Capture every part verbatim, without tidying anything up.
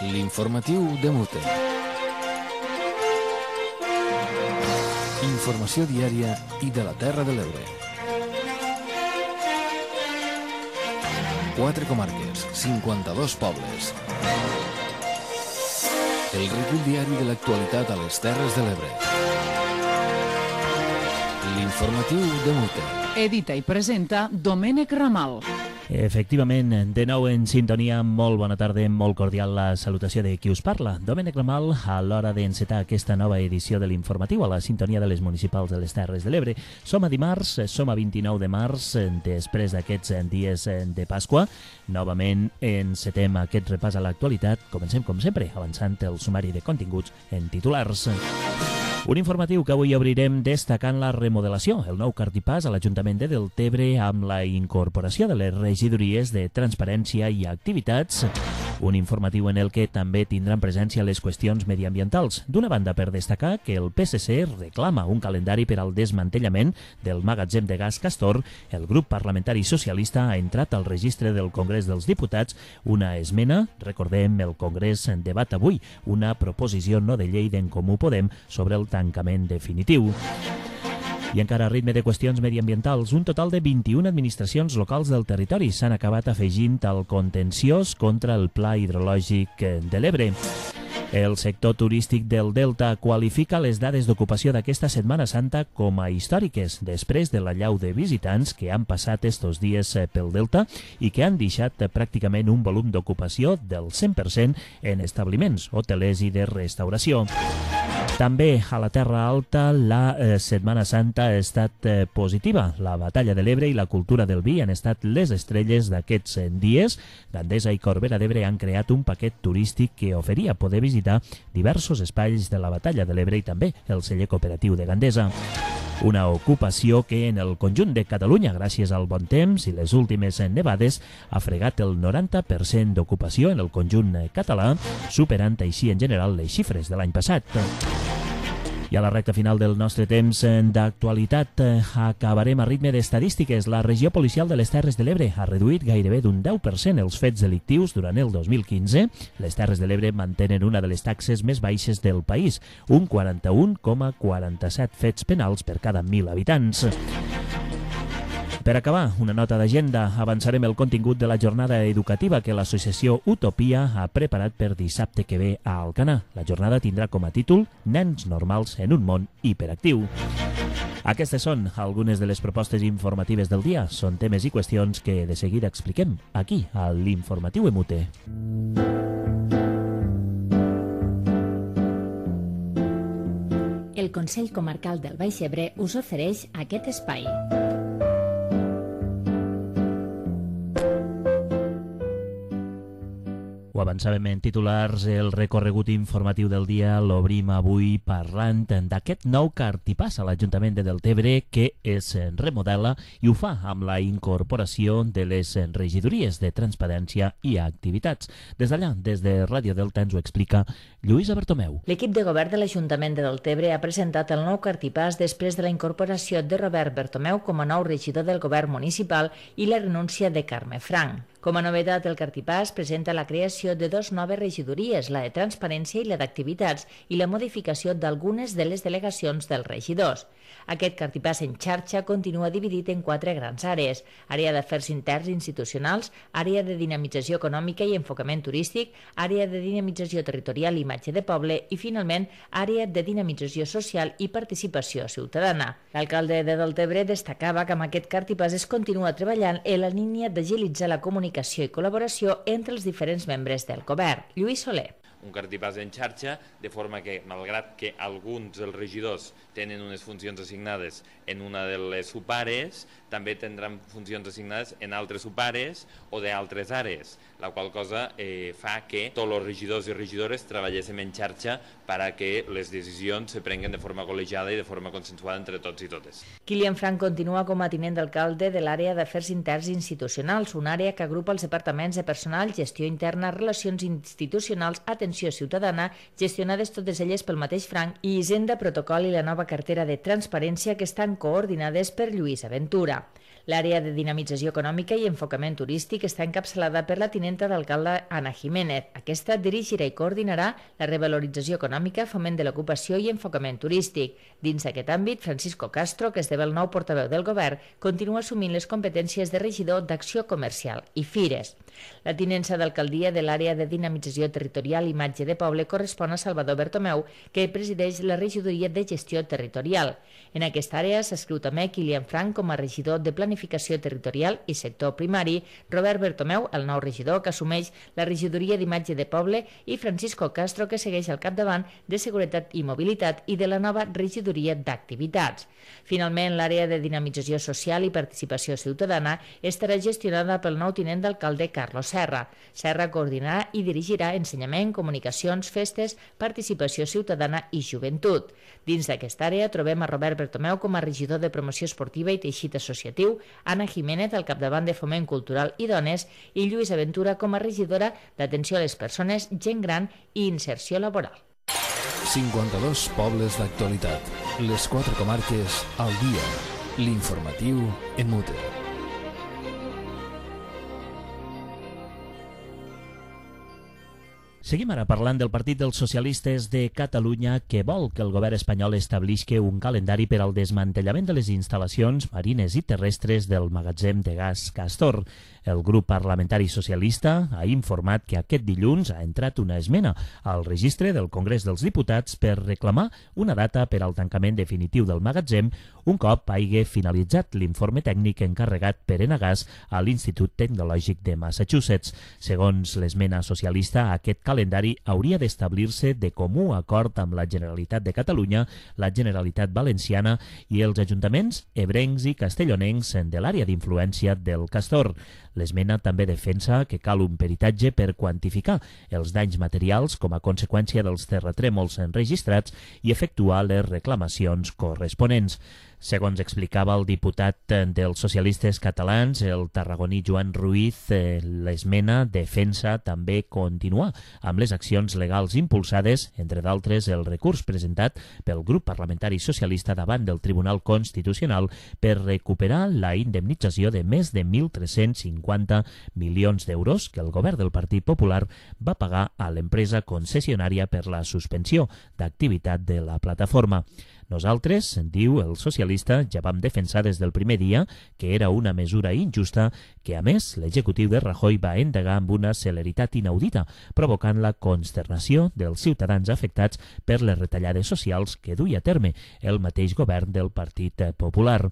L'informatiu de Mute. Informació diària i de la Terra de l'Ebre. Quatre comarques, cinquanta-dos pobles. El recull diari de l'actualitat a les Terres de l'Ebre. L'informatiu de Mute. Edita i presenta Domènec Ramal. Efectivament, de nou en sintonia, molt bona tarda, molt cordial la salutació de qui us parla. Domènec Ramal, a l'hora d'encetar aquesta nova edició de l'informatiu a la sintonia de les municipals de les Terres de l'Ebre. Som a dimarts, som a vint-i-nou de març, després d'aquests dies de Pasqua. Novament encetem aquest repàs a l'actualitat. Comencem, com sempre, avançant el sumari de continguts en titulars. Un informatiu que avui obrirem destacant la remodelació, el nou cartipàs a l'Ajuntament de Deltebre amb la incorporació de les regidories de Transparència i Activitats. Un informatiu en el que també tindran presència les qüestions mediambientals. D'una banda, per destacar que el P S C reclama un calendari per al desmantellament del magatzem de gas Castor, el grup parlamentari socialista ha entrat al registre del Congrés dels Diputats una esmena, recordem, el Congrés debat avui, una proposició no de llei d'En Comú Podem sobre el tancament definitiu. I encara a ritme de qüestions mediambientals, un total de vint-i-una administracions locals del territori s'han acabat afegint al contenciós contra el Pla Hidrològic de l'Ebre. El sector turístic del Delta qualifica les dades d'ocupació d'aquesta Setmana Santa com a històriques, després de l'allau de visitants que han passat estos dies pel Delta i que han deixat pràcticament un volum d'ocupació del cent per cent en establiments hotelers i de restauració. També a la Terra Alta la eh, Setmana Santa ha estat eh, positiva. La Batalla de l'Ebre i la cultura del vi han estat les estrelles d'aquests eh, dies. Gandesa i Corbera d'Ebre han creat un paquet turístic que oferia poder visitar diversos espais de la Batalla de l'Ebre i també el celler cooperatiu de Gandesa. Una ocupació que en el conjunt de Catalunya, gràcies al bon temps i les últimes nevades, ha fregat el noranta per cent d'ocupació en el conjunt català, superant així en general les xifres de l'any passat. I a la recta final del nostre temps d'actualitat acabarem a ritme d'estadístiques. La regió policial de les Terres de l'Ebre ha reduït gairebé d'un deu per cent els fets delictius durant el dos mil quinze. Les Terres de l'Ebre mantenen una de les taxes més baixes del país, un quaranta-un coma quaranta-set fets penals per cada mil habitants. Per acabar, una nota d'agenda. Avançarem el contingut de la jornada educativa que l'associació Utopia ha preparat per dissabte que ve a Alcanar. La jornada tindrà com a títol Nens normals en un món hiperactiu. Aquestes són algunes de les propostes informatives del dia. Són temes i qüestions que de seguida expliquem aquí, a l'Informatiu Emute. El Consell Comarcal del Baix Ebre us ofereix aquest espai. Ho avançàvem en titulars, el recorregut informatiu del dia l'obrim avui parlant d'aquest nou cartipàs a l'Ajuntament de Deltebre que es remodela i ho fa amb la incorporació de les regidories de Transparència i Activitats. Des d'allà, des de Ràdio Delta, ens ho explica Lluïsa Bertomeu. L'equip de govern de l'Ajuntament de Deltebre ha presentat el nou cartipàs després de la incorporació de Robert Bertomeu com a nou regidor del govern municipal i la renúncia de Carme Frank. Com a novetat, el cartipàs presenta la creació de dos noves regidories, la de Transparència i la d'Activitats, i la modificació d'algunes de les delegacions dels regidors. Aquest cartipàs en xarxa continua dividit en quatre grans àrees: àrea d'afers interns institucionals, àrea de dinamització econòmica i enfocament turístic, àrea de dinamització territorial i imatge de poble i, finalment, àrea de dinamització social i participació ciutadana. L'alcalde de Deltebre destacava que amb aquest cartipàs es continua treballant en la línia d'agilitzar la comunicació i col·laboració entre els diferents membres del govern. Lluís Soler. Un cartipàs en xarxa, de forma que, malgrat que alguns dels regidors tenen unes funcions assignades en una de les subares, també tindran funcions assignades en altres subares o d'altres àrees, la qual cosa eh, fa que tots els regidors i regidores treballéssim en xarxa per a que les decisions se prenguen de forma col·legiada i de forma consensuada entre tots i totes. Kilian Frank continua com a tinent d'alcalde de l'àrea d'afers interns institucionals, una àrea que agrupa els departaments de personal, gestió interna, relacions institucionals, atenció ciutadana, gestionades totes elles pel mateix Frank, i Hisenda, protocol i la nova cartera de transparència que estan coordinades per Lluís Aventura. L'àrea de dinamització econòmica i enfocament turístic està encapçalada per la tinenta d'alcalde Ana Jiménez. Aquesta dirigirà i coordinarà la revalorització econòmica, foment de l'ocupació i enfocament turístic. Dins d'aquest àmbit, Francisco Castro, que esdevé el nou portaveu del govern, continua assumint les competències de regidor d'acció comercial i fires. La tinença d'alcaldia de l'àrea de dinamització territorial i imatge de poble correspon a Salvador Bertomeu, que presideix la regidoria de gestió territorial. En aquesta àrea s'escriu també Kilian Frank com a regidor de planificació territorial i sector primari, Robert Bertomeu, el nou regidor que assumeix la regidoria d'imatge de poble, i Francisco Castro, que segueix al capdavant de seguretat i mobilitat i de la nova regidoria d'activitats. Finalment, l'àrea de dinamització social i participació ciutadana estarà gestionada pel nou tinent d'alcalde Carlos Serra. Serra coordinarà i dirigirà ensenyament, comunicacions, festes, participació ciutadana i joventut. Dins d'aquesta àrea trobem a Robert Bertomeu com a regidor de promoció esportiva i teixit associatiu, Ana Jiménez al capdavant de foment cultural i dones i Lluís Aventura com a regidora d'atenció a les persones, gent gran i inserció laboral. cinquanta-dos pobles d'actualitat. Les quatre comarques al dia. L'informatiu en Mute. Seguim ara parlant del Partit dels Socialistes de Catalunya, que vol que el govern espanyol establisqui un calendari per al desmantellament de les instal·lacions marines i terrestres del magatzem de gas Castor. El grup parlamentari socialista ha informat que aquest dilluns ha entrat una esmena al registre del Congrés dels Diputats per reclamar una data per al tancament definitiu del magatzem un cop hagi finalitzat l'informe tècnic encarregat per Enagás a l'Institut Tecnològic de Massachusetts. Segons l'esmena socialista, aquest calendari hauria d'establir-se de comú acord amb la Generalitat de Catalunya, la Generalitat Valenciana i els ajuntaments ebrencs i castellonencs de l'àrea d'influència del Castor. L'esmena també defensa que cal un peritatge per quantificar els danys materials com a conseqüència dels terratrèmols enregistrats i efectuar les reclamacions corresponents. Segons explicava el diputat dels socialistes catalans, el tarragoní Joan Ruiz, l'esmena defensa també continuar amb les accions legals impulsades, entre d'altres el recurs presentat pel grup parlamentari socialista davant del Tribunal Constitucional per recuperar la indemnització de més de mil tres-cents cinquanta milions d'euros que el govern del Partit Popular va pagar a l'empresa concessionària per la suspensió d'activitat de la plataforma. Nosaltres, diu el socialista, ja vam defensar des del primer dia que era una mesura injusta que, a més, l'executiu de Rajoy va endegar amb una celeritat inaudita, provocant la consternació dels ciutadans afectats per les retallades socials que duia a terme el mateix govern del Partit Popular.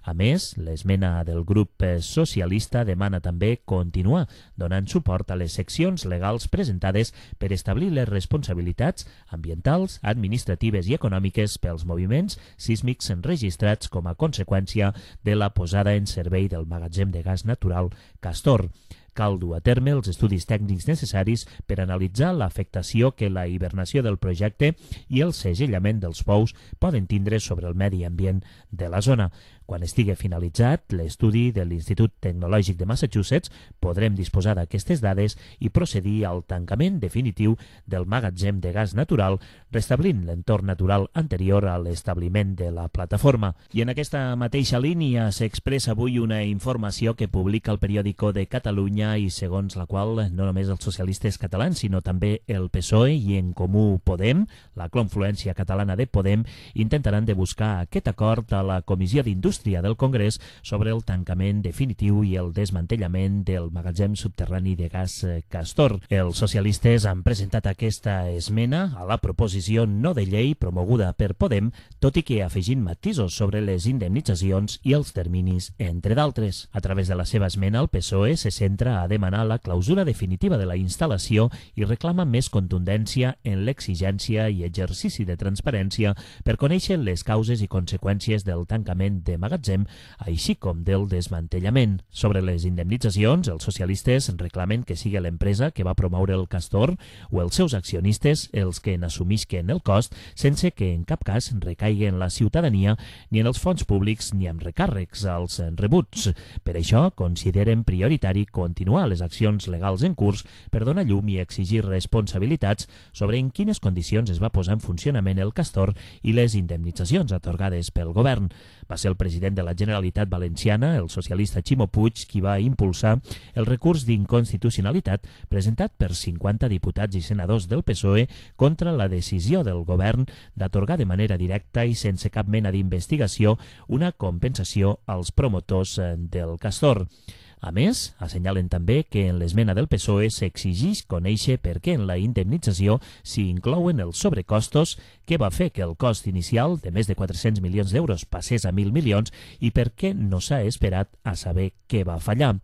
A més, l'esmena del grup socialista demana també continuar donant suport a les seccions legals presentades per establir les responsabilitats ambientals, administratives i econòmiques pels moviments sísmics enregistrats com a conseqüència de la posada en servei del magatzem de gas natural Castor. Cal dur a terme els estudis tècnics necessaris per analitzar l'afectació que la hibernació del projecte i el segellament dels pous poden tindre sobre el medi ambient de la zona. Quan estigui finalitzat l'estudi de l'Institut Tecnològic de Massachusetts, podrem disposar d'aquestes dades i procedir al tancament definitiu del magatzem de gas natural, restablint l'entorn natural anterior a l'establiment de la plataforma. I en aquesta mateixa línia s'expressa avui una informació que publica el Periòdico de Catalunya i segons la qual no només els socialistes catalans, sinó també el P S O E i En Comú Podem, la confluència catalana de Podem, intentaran de buscar aquest acord a la Comissió d'Indústria del Congrés sobre el tancament definitiu i el desmantellament del magatzem subterrani de gas Castor. Els socialistes han presentat aquesta esmena a la proposició no de llei promoguda per Podem, tot i que afegint matisos sobre les indemnitzacions i els terminis, entre d'altres. A través de la seva esmena, el P S O E se centra a demanar la clausura definitiva de la instal·lació i reclama més contundència en l'exigència i exercici de transparència per conèixer les causes i conseqüències del tancament de magatzem, així com del desmantellament. Sobre les indemnitzacions, els socialistes reclamen que sigui l'empresa que va promoure el Castor o els seus accionistes els que n'assumisquen el cost sense que en cap cas recaigui en la ciutadania ni en els fons públics ni amb recàrrecs als rebuts. Per això consideren prioritari continuar les accions legals en curs per donar llum i exigir responsabilitats sobre en quines condicions es va posar en funcionament el Castor i les indemnitzacions atorgades pel govern. Va ser el president president de la Generalitat Valenciana, el socialista Ximo Puig, qui va impulsar el recurs d'inconstitucionalitat presentat per cinquanta diputats i senadors del P S O E contra la decisió del govern d'atorgar de manera directa i sense cap mena d'investigació una compensació als promotors del Castor. A més, assenyalen també que en l'esmena del P S O E s'exigeix conèixer per què en la indemnització s'hi inclouen els sobrecostos que va fer que el cost inicial de més de quatre-cents milions d'euros passés a mil milions i per què no s'ha esperat a saber què va fallar.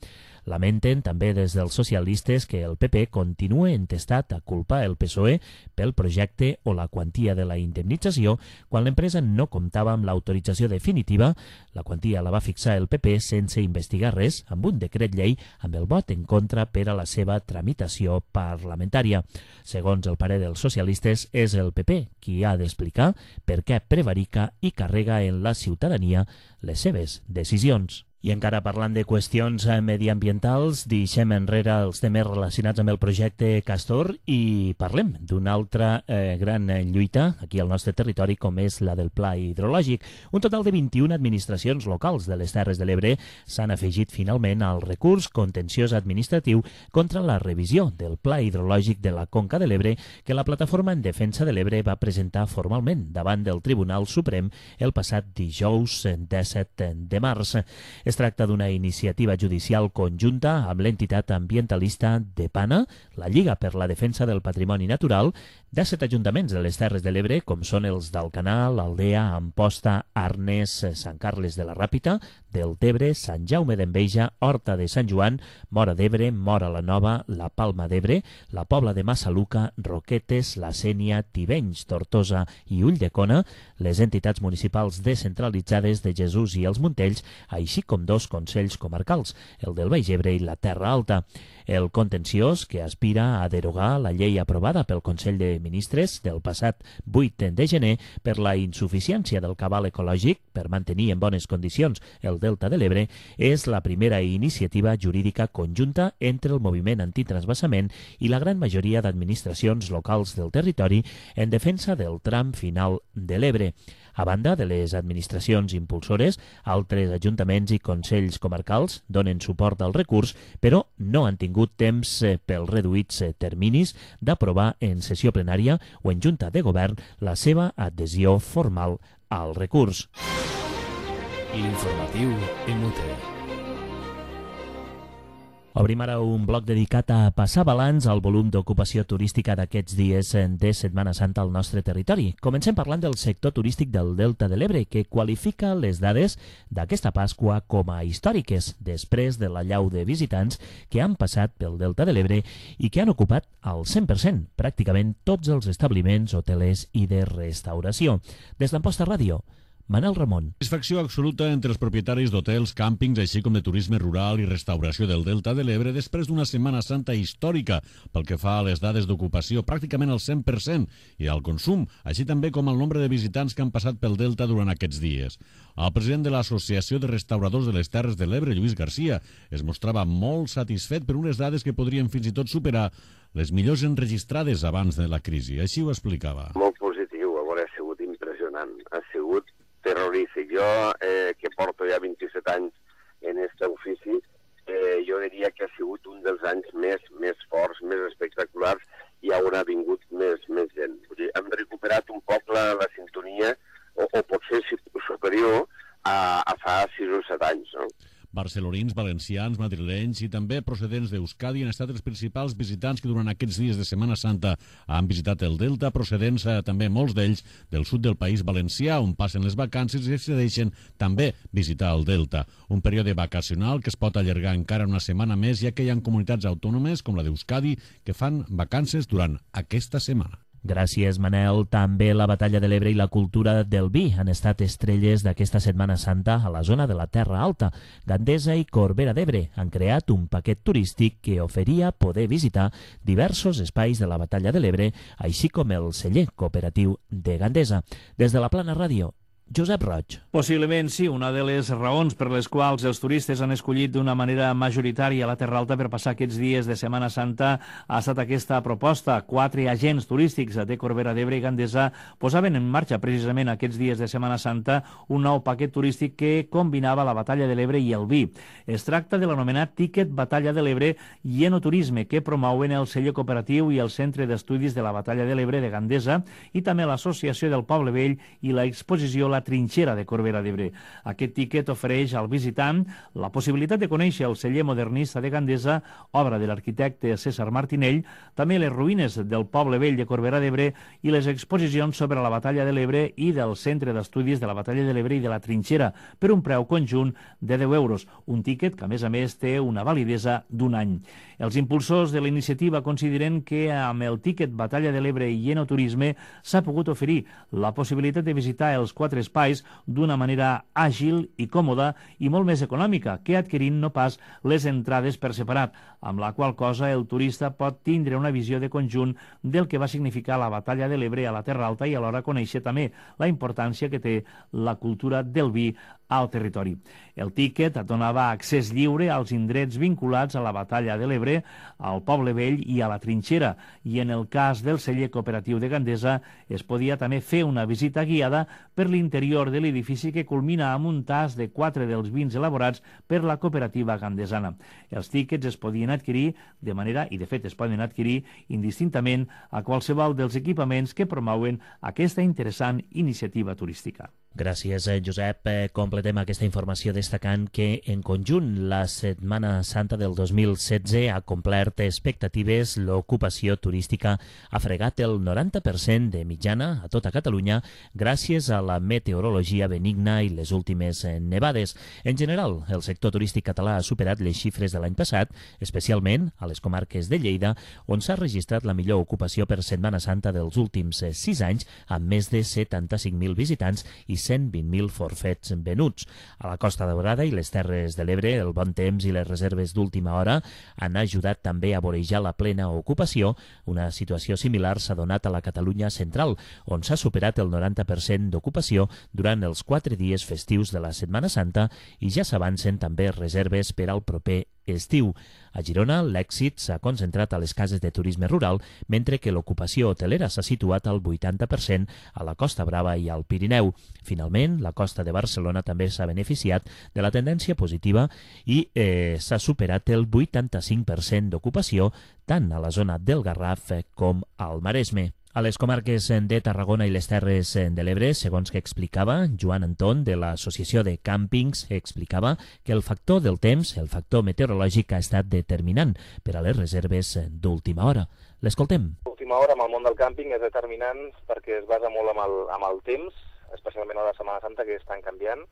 Lamenten també des dels socialistes que el P P continua entestat a culpar el P S O E pel projecte o la quantia de la indemnització quan l'empresa no comptava amb l'autorització definitiva. La quantia la va fixar el P P sense investigar res amb un decret llei amb el vot en contra per a la seva tramitació parlamentària. Segons el parer dels socialistes, és el P P qui ha d'explicar per què prevarica i carrega en la ciutadania les seves decisions. I encara parlant de qüestions mediambientals, deixem enrere els temes relacionats amb el projecte Castor i parlem d'una altra eh, gran lluita aquí al nostre territori, com és la del Pla Hidrològic. Un total de vint-i-una administracions locals de les Terres de l'Ebre s'han afegit finalment al recurs contenciós administratiu contra la revisió del Pla Hidrològic de la Conca de l'Ebre que la Plataforma en Defensa de l'Ebre va presentar formalment davant del Tribunal Suprem el passat dijous disset de març. Es tracta d'una iniciativa judicial conjunta amb l'entitat ambientalista DEPANA, la Lliga per la Defensa del Patrimoni Natural, de set ajuntaments de les Terres de l'Ebre, com són els d'Alcanar, Aldea, Amposta, Arnes, Sant Carles de la Ràpita, Deltebre, Sant Jaume d'Enveja, Horta de Sant Joan, Móra d'Ebre, Móra la Nova, la Palma d'Ebre, la Pobla de Massaluca, Roquetes, la Sénia, Tivenys, Tortosa i Ulldecona, les entitats municipals descentralitzades de Jesús i els Montells, així com dos consells comarcals, el del Baix Ebre i la Terra Alta. El contenciós, que aspira a derogar la llei aprovada pel Consell de Ministres del passat vuit de gener per la insuficiència del cabal ecològic per mantenir en bones condicions el Delta de l'Ebre, és la primera iniciativa jurídica conjunta entre el moviment antitransvasament i la gran majoria d'administracions locals del territori en defensa del tram final de l'Ebre. A banda de les administracions impulsores, altres ajuntaments i consells comarcals donen suport al recurs, però no han tingut temps pels reduïts terminis d'aprovar en sessió plenària o en junta de govern la seva adhesió formal al recurs. L'informatiu en Mute. Obrim ara un bloc dedicat a passar balanç al volum d'ocupació turística d'aquests dies de Setmana Santa al nostre territori. Comencem parlant del sector turístic del Delta de l'Ebre, que qualifica les dades d'aquesta Pasqua com a històriques, després de l'allau de visitants que han passat pel Delta de l'Ebre i que han ocupat al cent per cent pràcticament tots els establiments hotelers i de restauració. Des d'Amposta Ràdio, Manel Ramon. Satisfacció absoluta entre els propietaris d'hotels, càmpings, així com de turisme rural i restauració del Delta de l'Ebre després d'una Setmana Santa històrica pel que fa a les dades d'ocupació, pràcticament al cent per cent, i al consum, així també com al nombre de visitants que han passat pel Delta durant aquests dies. El president de l'Associació de Restauradors de les Terres de l'Ebre, Lluís Garcia, es mostrava molt satisfet per unes dades que podrien fins i tot superar les millors enregistrades abans de la crisi. Així ho explicava. Molt positiu, a veure, ha sigut impressionant, ha sigut terrorífic. Jo, eh, que porto ja vint-i-set anys en aquest ofici, eh, jo diria que ha sigut un dels anys més, més forts, més espectaculars, i on ha vingut més, més gent. Vull dir, hem recuperat un poc la, la sintonia, o, o potser superior a, a fa sis o set anys, no? Barcelonins, valencians, madrilenys i també procedents d'Euskadi han estat els principals visitants que durant aquests dies de Setmana Santa han visitat el Delta, procedents eh, també molts d'ells del sud del país valencià, on passen les vacances i decideixen també visitar el Delta. Un període vacacional que es pot allargar encara una setmana més, ja que hi ha comunitats autònomes com la d'Euskadi que fan vacances durant aquesta setmana. Gràcies, Manel. També la Batalla de l'Ebre i la cultura del vi han estat estrelles d'aquesta Setmana Santa a la zona de la Terra Alta. Gandesa i Corbera d'Ebre han creat un paquet turístic que oferia poder visitar diversos espais de la Batalla de l'Ebre, així com el celler cooperatiu de Gandesa. Des de la Plana Ràdio, Josep Roig. Possiblement sí, una de les raons per les quals els turistes han escollit d'una manera majoritària la Terra Alta per passar aquests dies de Setmana Santa ha estat aquesta proposta. Quatre agents turístics de Corbera d'Ebre i Gandesa posaven en marxa precisament aquests dies de Setmana Santa un nou paquet turístic que combinava la Batalla de l'Ebre i el vi. Es tracta de l'anomenat Ticket Batalla de l'Ebre i Enoturisme, que promouen el celler cooperatiu i el Centre d'Estudis de la Batalla de l'Ebre de Gandesa i també l'Associació del Poble Vell i l'exposició La Trinxera de Corbera d'Ebre. Aquest tiquet ofereix al visitant la possibilitat de conèixer el celler modernista de Gandesa, obra de l'arquitecte César Martinell, també les ruïnes del Poble Vell de Corbera d'Ebre i les exposicions sobre la Batalla de l'Ebre i del Centre d'Estudis de la Batalla de l'Ebre i de la Trinxera, per un preu conjunt de deu euros, un tiquet que a més a més té una validesa d'un any. Els impulsors de la iniciativa consideren que amb el tiquet Batalla de l'Ebre i Enoturisme s'ha pogut oferir la possibilitat de visitar els quatre espais d'una manera àgil i còmoda i molt més econòmica que adquirint no pas les entrades per separat, amb la qual cosa el turista pot tindre una visió de conjunt del que va significar la Batalla de l'Ebre a la Terra Alta i alhora conèixer també la importància que té la cultura del vi al territori. El tiquet donava accés lliure als indrets vinculats a la Batalla de l'Ebre, al Poble Vell i a la Trinxera, i en el cas del celler cooperatiu de Gandesa es podia també fer una visita guiada per l'interior de l'edifici que culmina amb un tas de quatre dels vins elaborats per la cooperativa gandesana. Els tiquets es podien adquirir de manera, i de fet es poden adquirir indistintament a qualsevol dels equipaments que promouen aquesta interessant iniciativa turística. Gràcies, Josep. Completem aquesta informació destacant que, en conjunt, la Setmana Santa del dos mil setze ha complert expectatives. L'ocupació turística ha fregat el noranta per cent de mitjana a tota Catalunya gràcies a la meteorologia benigna i les últimes nevades. En general, el sector turístic català ha superat les xifres de l'any passat, especialment a les comarques de Lleida, on s'ha registrat la millor ocupació per Setmana Santa dels últims sis anys, amb més de setanta-cinc mil visitants i cent vint mil forfets venuts. A la Costa Daurada i les Terres de l'Ebre, el bon temps i les reserves d'última hora han ajudat també a vorejar la plena ocupació. Una situació similar s'ha donat a la Catalunya central, on s'ha superat el noranta per cent d'ocupació durant els quatre dies festius de la Setmana Santa i ja s'avancen també reserves per al proper estiu. A Girona, l'èxit s'ha concentrat a les cases de turisme rural, mentre que l'ocupació hotelera s'ha situat al vuitanta per cent a la Costa Brava i al Pirineu. Finalment, la costa de Barcelona també s'ha beneficiat de la tendència positiva i eh, s'ha superat el vuitanta-cinc per cent d'ocupació tant a la zona del Garraf com al Maresme. A les comarques de Tarragona i les Terres de l'Ebre, segons que explicava Joan Anton de l'Associació de Càmpings, explicava que el factor del temps, el factor meteorològic, ha estat determinant per a les reserves d'última hora. L'escoltem. L'última hora amb el món del càmping és determinant perquè es basa molt amb el, amb el temps, especialment a la Setmana Santa, que és tan canviant.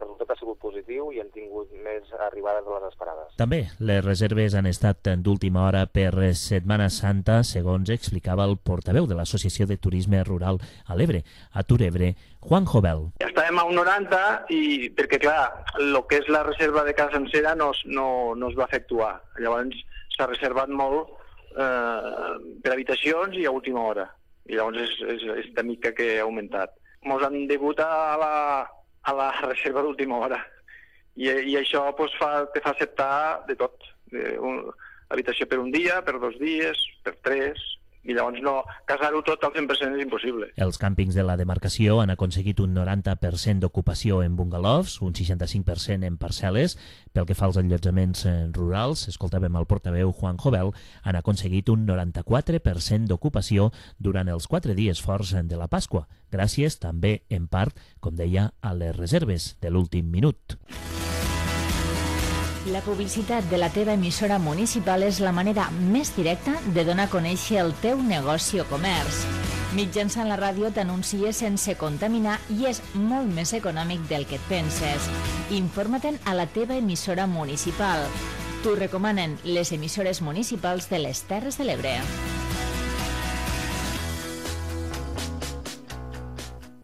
El resultat ha sigut positiu i hem tingut més arribades de les esperades. També les reserves han estat d'última hora per Setmana Santa, segons explicava el portaveu de l'Associació de Turisme Rural a l'Ebre, a Turebre, Juan Jovel. Estàvem a un noranta i perquè, clar, el que és la reserva de casa sencera no, no, no es va efectuar. Llavors s'ha reservat molt eh, per habitacions i a última hora. I llavors és, és, és de mica que ha augmentat. Ens han degut a la a la reserva d'última hora. I, i això pues, fa, te fa acceptar de tot. De un, habitació per un dia, per dos dies, per tres, i llavors no, casar-ho tot al cent per cent és impossible. Els càmpings de la demarcació han aconseguit un noranta per cent d'ocupació en bungalows, un seixanta-cinc per cent en parcel·les. Pel que fa als allotjaments rurals, escoltàvem el portaveu Juan Jovel, han aconseguit un noranta-quatre per cent d'ocupació durant els quatre dies forts de la Pasqua, gràcies també, en part, com deia, a les reserves de l'últim minut. La publicitat de la teva emissora municipal és la manera més directa de donar a conèixer el teu negoci o comerç. Mitjançant la ràdio t'anuncies sense contaminar i és molt més econòmic del que et penses. Informa-te'n a la teva emissora municipal. T'ho recomanen les emissores municipals de les Terres de l'Ebre.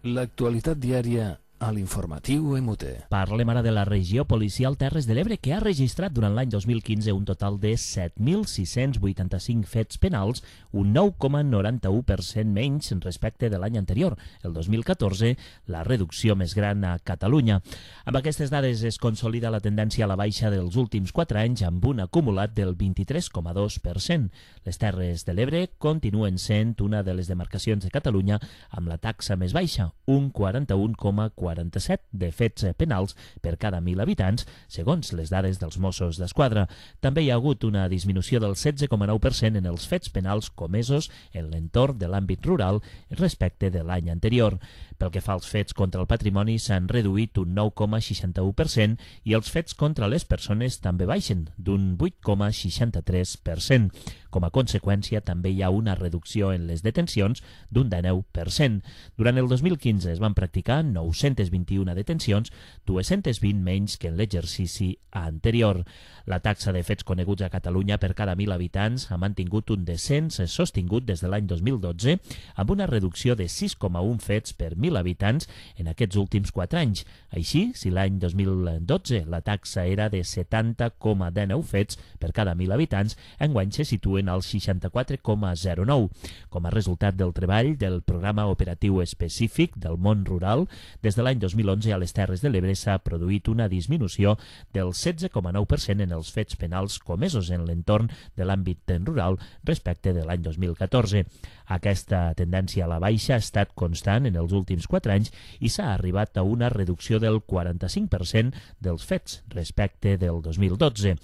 L'actualitat diària a l'informatiu M U T. Parlem ara de la regió policial Terres de l'Ebre, que ha registrat durant l'any dos mil quinze un total de set mil sis-cents vuitanta-cinc fets penals, un nou coma noranta-u per cent menys respecte de l'any anterior, el dos mil catorze, la reducció més gran a Catalunya. Amb aquestes dades es consolida la tendència a la baixa dels últims quatre anys amb un acumulat del vint-i-tres coma dos per cent. Les Terres de l'Ebre continuen sent una de les demarcacions de Catalunya amb la taxa més baixa, un quaranta-un coma quaranta-set de fets penals per cada mil habitants, segons les dades dels Mossos d'Esquadra. També hi ha hagut una disminució del setze coma nou per cent en els fets penals comesos en l'entorn de l'àmbit rural respecte de l'any anterior. Pel que fa als fets contra el patrimoni, s'han reduït un nou coma seixanta-u per cent i els fets contra les persones també baixen, d'un vuit coma seixanta-tres per cent. Com a conseqüència, també hi ha una reducció en les detencions d'un dinou per cent. Durant el dos mil quinze es van practicar nou-centes vint-i-una detencions, dues-centes vint menys que en l'exercici anterior. La taxa de fets coneguts a Catalunya per cada mil habitants ha mantingut un descens sostingut des de l'any dos mil dotze, amb una reducció de sis coma un fets per mil habitants en aquests últims quatre anys. Així, si l'any dos mil dotze la taxa era de setanta coma dinou fets per cada mil habitants, enguany se situen al seixanta-quatre coma zero nou. Com a resultat del treball del Programa Operatiu Específic del Món Rural, des de l'any dos mil onze a les Terres de l'Ebre s'ha produït una disminució del setze coma nou per cent en els fets penals comesos en l'entorn de l'àmbit rural respecte de l'any dos mil catorze. Aquesta tendència a la baixa ha estat constant en els últims quatre anys i s'ha arribat a una reducció del quaranta-cinc per cent dels fets respecte del dos mil dotze.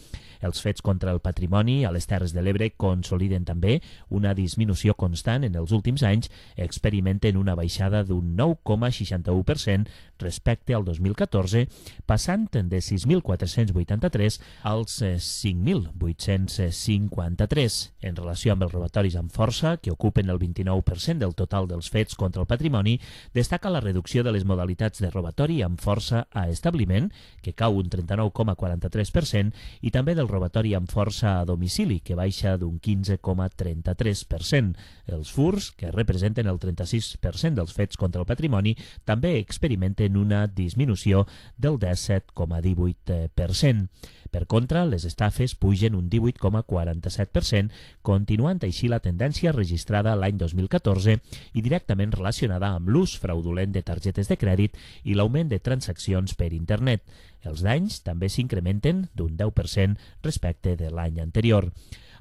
Els fets contra el patrimoni a les Terres de l'Ebre consoliden també una disminució constant en els últims anys, experimenten una baixada d'un nou coma seixanta-u per cent respecte al dos mil catorze, passant de sis mil quatre-cents vuitanta-tres als cinc mil vuit-cents cinquanta-tres. En relació amb els robatoris amb força, que ocupen el vint-i-nou per cent del total dels fets contra el patrimoni, destaca la reducció de les modalitats de robatori amb força a establiment, que cau un trenta-nou coma quaranta-tres per cent, i també del robatori amb força a domicili, que baixa d'un quinze coma trenta-tres per cent. Els furs, que representen el trenta-sis per cent dels fets contra el patrimoni, també experimenten una disminució del disset coma divuit per cent. Per contra, les estafes pugen un divuit coma quaranta-set per cent, continuant així la tendència registrada l'any dos mil catorze i directament relacionada amb l'ús fraudulent de targetes de crèdit i l'augment de transaccions per internet. Els danys també s'incrementen d'un deu per cent respecte de l'any anterior.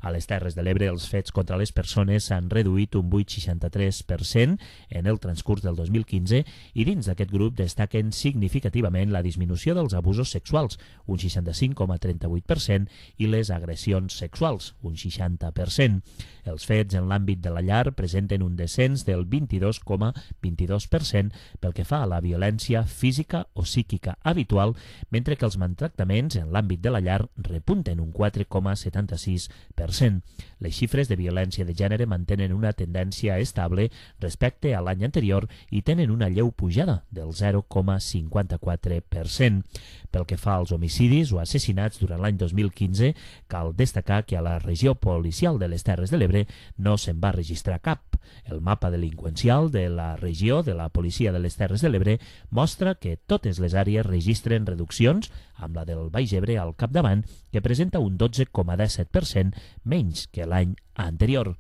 A les Terres de l'Ebre, els fets contra les persones s'han reduït un vuit coma seixanta-tres per cent en el transcurs del dos mil quinze i dins d'aquest grup destaquen significativament la disminució dels abusos sexuals, un seixanta-cinc coma trenta-vuit per cent, i les agressions sexuals, un seixanta per cent. Els fets en l'àmbit de la llar presenten un descens del vint-i-dos coma vint-i-dos per cent pel que fa a la violència física o psíquica habitual, mentre que els maltractaments en l'àmbit de la llar repunten un quatre coma setanta-sis per cent. Les xifres de violència de gènere mantenen una tendència estable respecte a l'any anterior i tenen una lleu pujada del zero coma cinquanta-quatre per cent. Pel que fa als homicidis o assassinats durant l'any dos mil quinze, cal destacar que a la regió policial de les Terres de l'Ebre no se'n va registrar cap. El mapa delinqüencial de la regió de la policia de les Terres de l'Ebre mostra que totes les àrees registren reduccions, amb la del Baix Ebre al capdavant, que presenta un dotze coma disset per cent menys que l'any anterior.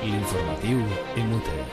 L'informatiu M U T.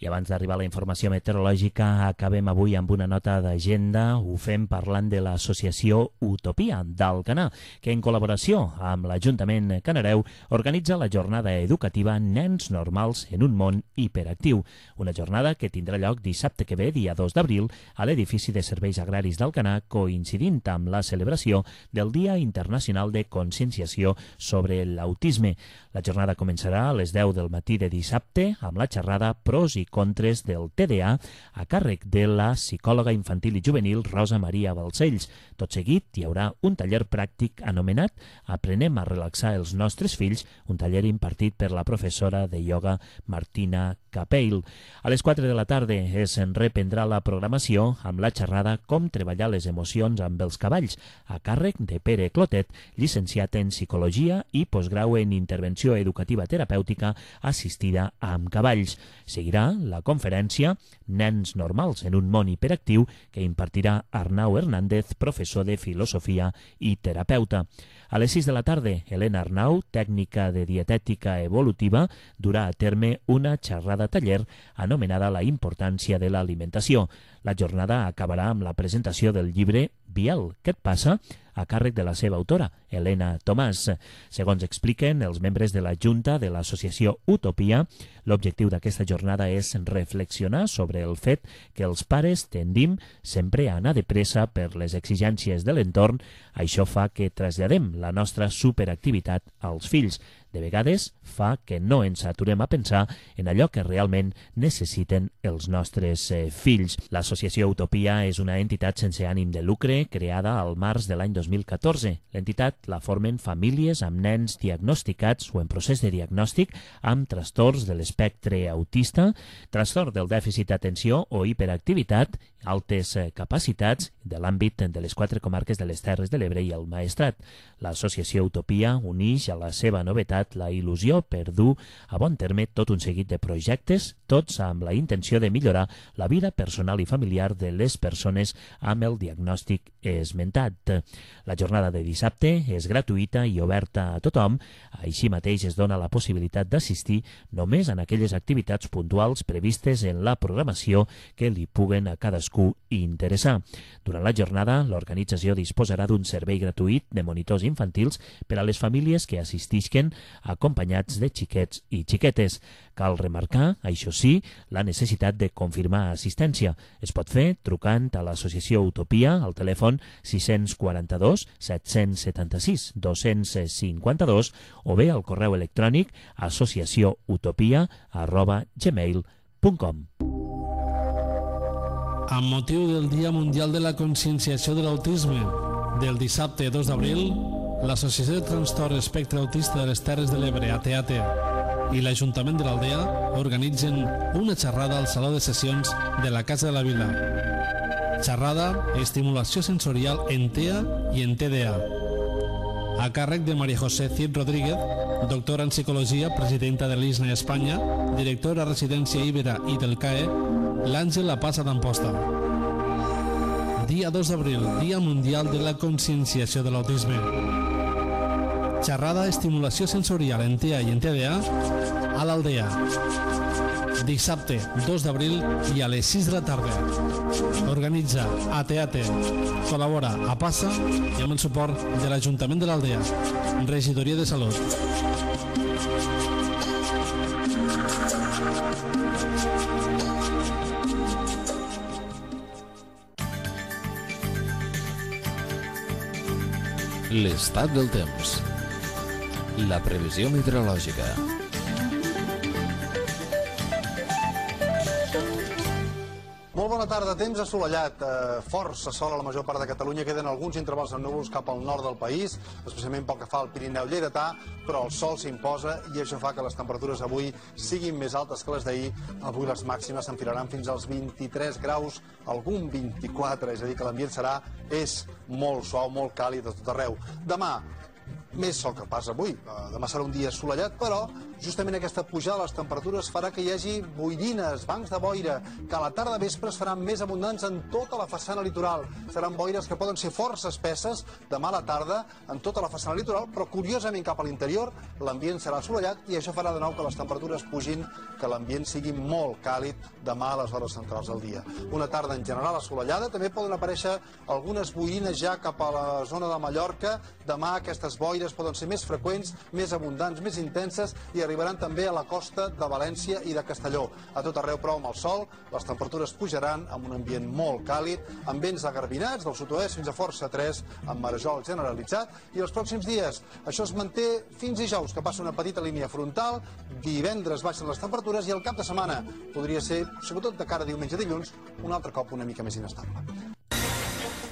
I abans d'arribar a la informació meteorològica, acabem avui amb una nota d'agenda. Ho fem parlant de l'associació Utopia d'Alcanar, que en col·laboració amb l'Ajuntament Canareu organitza la jornada educativa Nens Normals en un món hiperactiu. Una jornada que tindrà lloc dissabte que ve, dia dos d'abril, a l'edifici de Serveis Agraris d'Alcanar, coincidint amb la celebració del Dia Internacional de Conscienciació sobre l'Autisme. La jornada començarà a les deu del matí de dissabte amb la xerrada Pros i contres del T D A a càrrec de la psicòloga infantil i juvenil Rosa Maria Balcells. Tot seguit hi haurà un taller pràctic anomenat Aprenem a relaxar els nostres fills, un taller impartit per la professora de ioga Martina Capeil. A les quatre de la tarda es reprendrà la programació amb la xerrada Com treballar les emocions amb els cavalls, a càrrec de Pere Clotet, llicenciat en Psicologia i postgrau en Intervenció Educativa Terapèutica assistida amb cavalls. Seguirà la conferència Nens normals en un món hiperactiu que impartirà Arnau Hernández, professor de filosofia i terapeuta. A les sis de la tarda, Helena Arnau, tècnica de dietètica evolutiva, durà a terme una xerrada taller anomenada La importància de l'alimentació. La jornada acabarà amb la presentació del llibre Biel, què et passa?, a càrrec de la seva autora, Helena Tomàs. Segons expliquen els membres de la Junta de l'associació Utopia, l'objectiu d'aquesta jornada és reflexionar sobre el fet que els pares tendim sempre a anar de pressa per les exigències de l'entorn. Això fa que traslladem la nostra superactivitat als fills. De vegades fa que no ens aturem a pensar en allò que realment necessiten els nostres eh, fills. L'associació Utopia és una entitat sense ànim de lucre creada al març de l'any dos mil catorze. L'entitat la formen famílies amb nens diagnosticats o en procés de diagnòstic amb trastorns de l'espectre autista, trastorn del dèficit d'atenció o hiperactivitat, altes capacitats de l'àmbit de les quatre comarques de les Terres de l'Ebre i el Maestrat. L'associació Utopia uneix a la seva novetat la il·lusió per dur a bon terme tot un seguit de projectes, tots amb la intenció de millorar la vida personal i familiar de les persones amb el diagnòstic esmentat. La jornada de dissabte és gratuïta i oberta a tothom, així mateix es dona la possibilitat d'assistir només en aquelles activitats puntuals previstes en la programació que li puguen a cadascú interessar. Durant la jornada, l'organització disposarà d'un servei gratuït de monitors infantils per a les famílies que assistisquen acompanyats de xiquets i xiquetes. Cal remarcar, això sí, la necessitat de confirmar assistència. Es pot fer trucant a l'associació Utopia al telèfon sis quatre dos, set set sis, dos cinc dos o bé al correu electrònic associacióutopia arroba gmail punt com. Amb motiu del Dia Mundial de la Conscienciació de l'Autisme del dissabte dos d'abril, l'Associació de Trastorn Espectre Autista de les Terres de l'Ebre, A T A T, i l'Ajuntament de l'Aldea organitzen una xerrada al Saló de Sessions de la Casa de la Vila. Xerrada Estimulació sensorial en T E A i en T D A. A càrrec de María José Cid Rodríguez, doctora en Psicologia, presidenta de l'I S N E Espanya, directora a Residència Ibera i del C A E, l'Àngel La Pasa d'Amposta. Dia dos d'abril, Dia Mundial de la Conscienciació de l'Autisme. Xerrada Estimulació sensorial en T E A i en T D A a l'Aldea. Dissabte dos d'abril i a les sis de la tarda. Organitza A T A T. Col·labora a Passa i amb el suport de l'Ajuntament de l'Aldea. Regidoria de Salut. L'estat del temps. La previsió meteorològica. Molt bona tarda, temps assolellat, eh, força sol a la major part de Catalunya, queden alguns intervals amb núvols cap al nord del país, especialment pel que fa al Pirineu lleidatà, però el sol s'imposa i això fa que les temperatures avui siguin més altes que les d'ahir. Avui les màximes s'enfilaran fins als vint-i-tres graus, algun vint-i-quatre, és a dir que l'ambient serà, és molt suau, molt càlid a tot arreu. Demà, més sol que pas avui. Demà serà un dia assolellat, però justament aquesta pujada de les temperatures farà que hi hagi boirines, bancs de boira, que a la tarda vespre es faran més abundants en tota la façana litoral. Seran boires que poden ser força espesses demà a la tarda en tota la façana litoral, però curiosament cap a l'interior l'ambient serà assolellat i això farà de nou que les temperatures pugin, que l'ambient sigui molt càlid demà a les hores centrals del dia. Una tarda en general assolellada, també poden aparèixer algunes boirines ja cap a la zona de Mallorca. Demà aquestes boires poden ser més freqüents, més abundants, més intenses i arribaran també a la costa de València i de Castelló. A tot arreu, però, amb el sol, les temperatures pujaran amb un ambient molt càlid, amb vents agarbinats del sud-oest fins a força tres, amb marejol generalitzat, i els pròxims dies això es manté fins dijous, que passa una petita línia frontal, divendres baixen les temperatures i el cap de setmana podria ser, sobretot de cara a diumenge i dilluns, un altre cop una mica més inestable.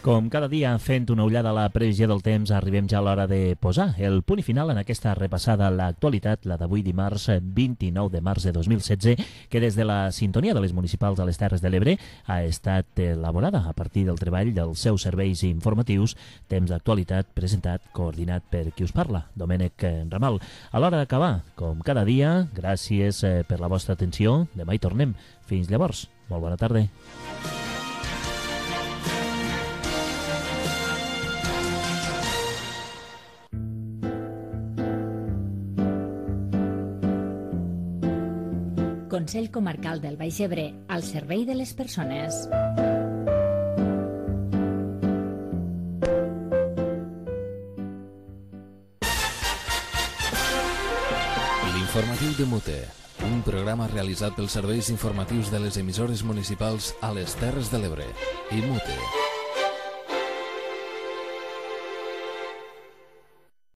Com cada dia, fent una ullada a la previsió del temps, arribem ja a l'hora de posar el punt i final en aquesta repassada a l'actualitat, la d'avui dimarts vint-i-nou de març de dos mil setze, que des de la sintonia de les municipals a les Terres de l'Ebre ha estat elaborada a partir del treball dels seus serveis informatius, temps d'actualitat presentat, coordinat per qui us parla, Domènec Ramal. A l'hora d'acabar, com cada dia, gràcies per la vostra atenció. Demà hi tornem. Fins llavors. Molt bona tarda. Consell Comarcal del Baix Ebre, al servei de les persones. L'informatiu de Mute, un programa realitzat pels serveis informatius de les emissores municipals a les Terres de l'Ebre i Mute.